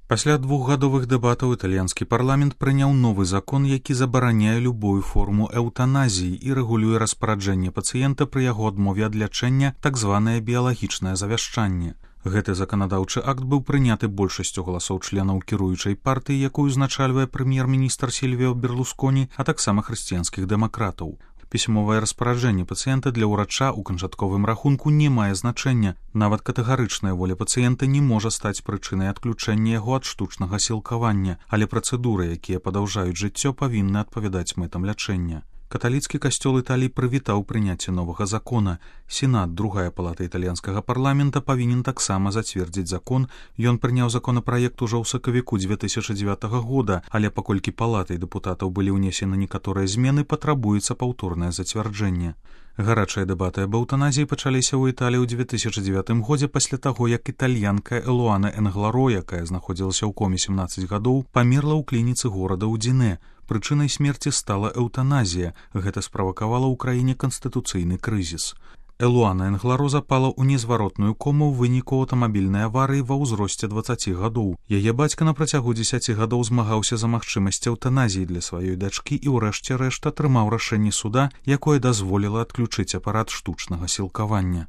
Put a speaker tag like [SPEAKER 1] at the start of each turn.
[SPEAKER 1] Пасля двухгадовых дэбатаў італьянскі парламент прыняў новы закон, які забараняе любую форму эўтаназіі і рэгулюе распараджэнне пацыента пры яго адмове ад лячэння, так званае біялагічнае завяшчанне. Гэты заканадаўчы акт быў прыняты большасцю галасоў членаў кіруючай партыі, якую узначальвае прэм'ер-міністр Сільвіо Берлусконі, а таксама хрысціянскіх дэмакратаў. Пісьмовае распараджэнне пацыента для ўрача ў канчатковым рахунку не мае значэння. Нават катэгарычная воля пацыента не можа стаць прычынай адключэння яго ад штучнага сілкавання, але працэдуры, якія падаўжаюць жыццё, павінны адпавядаць мэтам лячэння. Каталіцкі касцёл Італіі прывітаў прыняцце новага закона. Сенат, другая палата італьянскага парламента, павінен таксама зацвердзіць закон. Ён прыняў законапраект ужо ў сакавіку 2009 года, але паколькі палатай дэпутатаў былі ўнесены некаторыя змены, патрабуецца паўторнае зацвярджэнне. Гарачыя дэбаты аб эўтаназіі пачаліся ў Італіі ў 2009 годзе пасля таго, як італьянка Элуана Энгларо, якая знаходзілася ў коме 17 гадоў, памерла ў клініцы горада Удзіне. Прычынай смерці стала эўтаназія. Гэта справакавала ў краіне канстытуцыйны крызіс. Элуана Энгларо запала ў незваротную кому ў выніку аўтамабільнай аварыі ва ўзросце 20 гадоў. Яе бацька на працягу 10 гадоў змагаўся за магчымасць эўтаназіі для сваёй дачкі і ўрэшце рэшт атрымаў рашэнне суда, якое дазволіла адключыць апарат штучнага сілкавання.